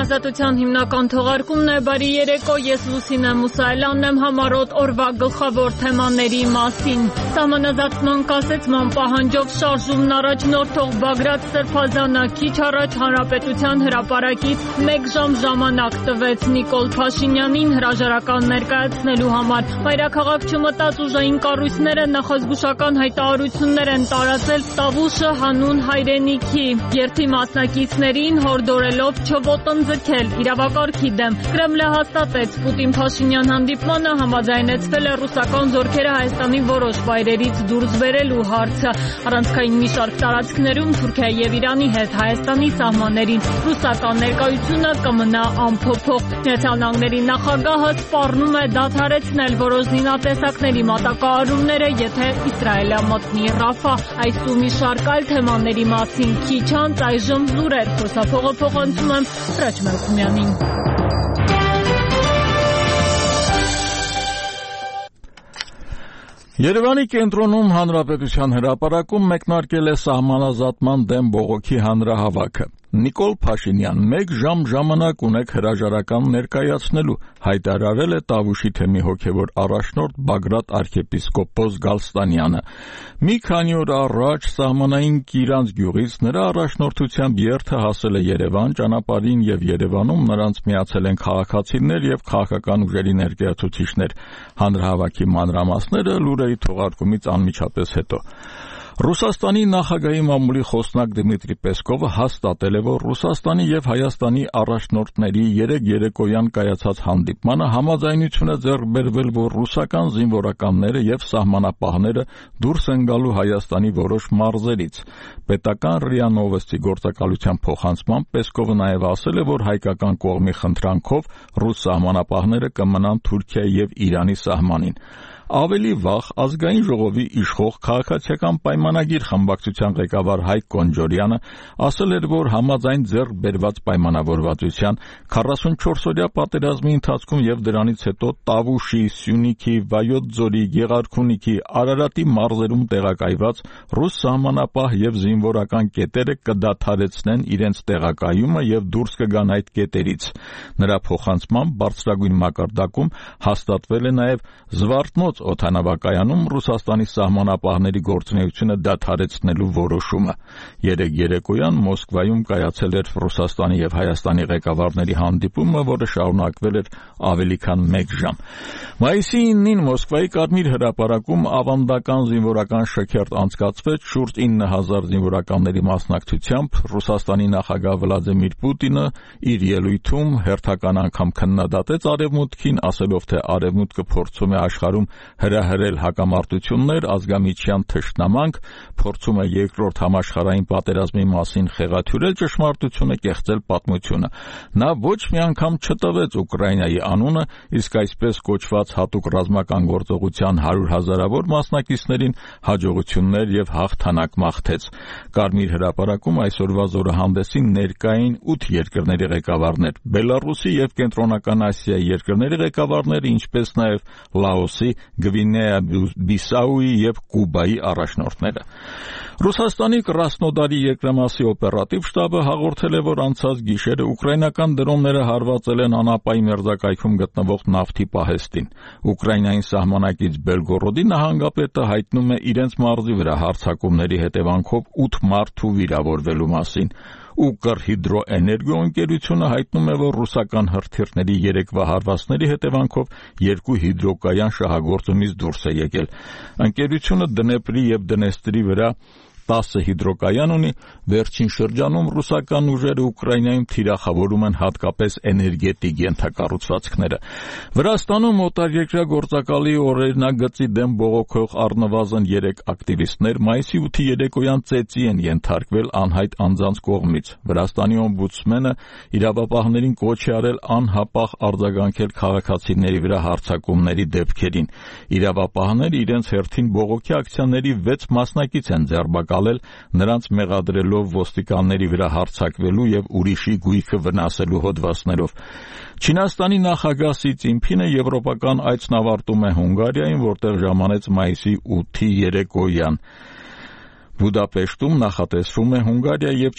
Ազատության հիմնական թողարկումն է, բարի երեկո, ես Լուսինե Մուսայելյանն եմ, համառոտ օրվա գլխավոր թեմաների մասին։ Սահմանազատման կասեցման պահանջով շարժումն առաջնորդող Բագրատ Սրբազանը քիչ առաջ Հանրապետության հրապարակից 1 ժամ ժամանակ տվեց Նիկոլ Փաշինյանին հրաժարական ներկայացնելու համար։ Մայրաքաղաք չմտած ուժային կառույցները նախազգուշական հայտարարություններ են տարածել Տավուշը հանուն հայրենիքի, երթի մասնակիցներին հորդորելով չոտնձգել իրավակարգի դեմ։ Կրեմլը հաստատեց Պուտին-Փաշինյան հանդիպմանը համաձայնեցվել է ռուսական զորքերը Հայաստանի որոշ վայրերից դուրս բերելու հարցը։ Առանցքային մի շարք տարածքներում Թուրքիայի եւ Իրանի հետ Հայաստանի սահմաններին ռուսական ներկայությունը կմնա անփոփոխ։ Միացյալ Նահանգների նախագահը սպառնում է դադարեցնել որոշ զինատեսակների մատակարարումները, եթե Իսրայելը մտնի Ռաֆահ։ Այս ու մի շարք այլ թեմաների մասին քիչ անց այժմ լուրեր խոսափողը փոխանցում եմ Հրաչ Մելքումյանին։ Երևանի կենտրոնում Հանրապետության հրապարակում մեկնարկել է սահմանազատման դեմ բողոքի հանրահավաքը։ Նիկոլ Փաշինյան, 1 ժամ ժամանակ ունեք հրաժարական ներկայացնելու, հայտարարել է Տավուշի թեմի հոգևոր առաջնորդ Բագրատ arczepiskopos Գալստանյանը։ Մի քանի օր առաջ սահմանային Կիրանց գյուղից նրա առաջնորդությամբ երթը հասել է Երևան, ճանապարհին եւ Երևանում նրանց միացել են քաղաքացիներ եւ քաղաքական ուժերի ներկայացուցիչներ։ Հանրահավաքի մանրամասները լուրերի թողարկումից անմիջապես հետո։ Ռուսաստանի նախագահի մամուլի խոսնակ Դմիտրի Պեսկովը հաստատել է, որ Ռուսաստանի եւ Հայաստանի առաջնորդների երեկոյան կայացած հանդիպմանը համաձայնություն է ձեռք բերվել, որ ռուսական զինվորականները եւ սահմանապահները դուրս են գալու Հայաստանի որոշ մարզերից։ Պետական ՌԻԱ Նովոստի գործակալության փոխանցմամբ Պեսկովը նաեւ ասել է, որ հայկական կողմի խնդրանքով ռուս սահմանապահները կմնան Թուրքիայի եւ Իրանի սահմանին։ Ավելի վաղ ազգային ժողովի իշխող քաղաքացիական պայմանագիր խմբակցության ղեկավար Հայկ Կոնջորյանը ասել էր, որ համաձայն ձեռք բերված պայմանավորվածության 44-օրյա պատերազմի ընթացքում եւ դրանից հետո Տավուշի, Սյունիքի, Վայոց ձորի, Գեղարքունիքի, Արարատի մարզերում տեղակայված ռուս սահմանապահ եւ զինվորական կետերը կդադարեցնեն իրենց տեղակայումը եւ դուրս կգան այդ կետերից։ Նրա փոխանցմամբ բարձրագույն մակարդակում հաստատվել է նաեւ Զվարթնոց օդանավակայանում Ռուսաստանի սահմանապահների գործունեությունը դադարեցնելու որոշումը։ Երեկոյան Մոսկվայում կայացել էր Ռուսաստանի եւ Հայաստանի ղեկավարների հանդիպումը, որը շարունակվել էր ավելի քան 1 ժամ։ Մայիսի 9-ին Մոսկվայի Կարմիր հրապարակում ավանդական զինվորական շքերթ անցկացվեց շուրջ 9000 զինվորականների մասնակցությամբ։ Ռուսաստանի նախագահ Վլադիմիր Պուտինը իր ելույթում հերթական անգամ քննադատեց Արևմուտքին, ասելով, թե Արևմուտքը փորձում է աշխարհում հրահրել հակամարտություններ, ազգամիջյան թշնամանք, փորձում է երկրորդ համաշխարհային պատերազմի մասին խեղաթյուրել ճշմարտությունը, կեղծել պատմությունը։ Նա ոչ մի անգամ չտվեց Ուկրաինայի անունը, իսկ այսպես կոչված հատուկ ռազմական գործողության 100,000-ավոր մասնակիցներին հաջողություններ եւ հաղթանակ մաղթեց։ Կարմիր հրապարակում այսօրվա զորահանդեսին ներկային 8 երկրների ղեկավարներ, Բելարուսի եւ Կենտրոնական Ասիայի երկրների ղեկավարներ, ինչպես նաեւ Լաոսի, Գվինեա Բիսաուի եւ Կուբայի առաջնորդները։ Ռուսաստանի Կրասնոդարի երկրամասի օպերատիվ շտաբը հաղորդել է, որ անցած գիշերը ուկրաինական դրոնները հարվածել են Անապայի մերձակայքում գտնվող նավթի պահեստին։ Ուկրաինային սահմանակից Բելգորոդի նահանգապետը հայտնում է իրենց մարզի վրա հարձակումների հետևանքով 8 մարդու վիրավորվելու մասին։ Ուկրհիդրոէներգո ընկերությունը հայտնում է, որ ռուսական հրթիռների երեկվա հարվածների հետևանքով 2 հիդրոկայան շահագործումից դուրս է եկել։ Ընկերությունը Դնեպրի եւ Դնեստրի վրա 10 հիդրոկայան ունի։ Վերջին շրջանում ռուսական ուժերը Ուկրաինայում թիրախավորում են հատկապես էներգետիկ ենթակառուցվածքները։ Վրաստանում օտարերկրյա գործակալի օրինագծի դեմ բողոքող առնվազն 3 ակտիվիստներ մայիսի 8-ի երեկոյան ծեծի են ենթարկվել անհայտ անձանց կողմից։ Վրաստանի օմբուդսմենը իրավապահներին կոչ է արել անհապաղ արձագանքել քաղաքացիների վրա հարձակումների դեպքերին։ Իրավապահները իրենց հերթին բողոքի ակցիաների 6 մասնակից են ձերբակալել, նրանց մեղադրելով ոստիկանների վրա հարձակվելու եւ ուրիշի գույքը վնասելու հոդվածներով։ Չինաստանի նախագահ Սի Ցինփինը եվրոպական այցն ավարտում է Հունգարիայում, որտեղ ժամանեց մայիսի 8-ի երեկոյան։ Բուդապեշտում նախատեսվում է Հունգարիա եւ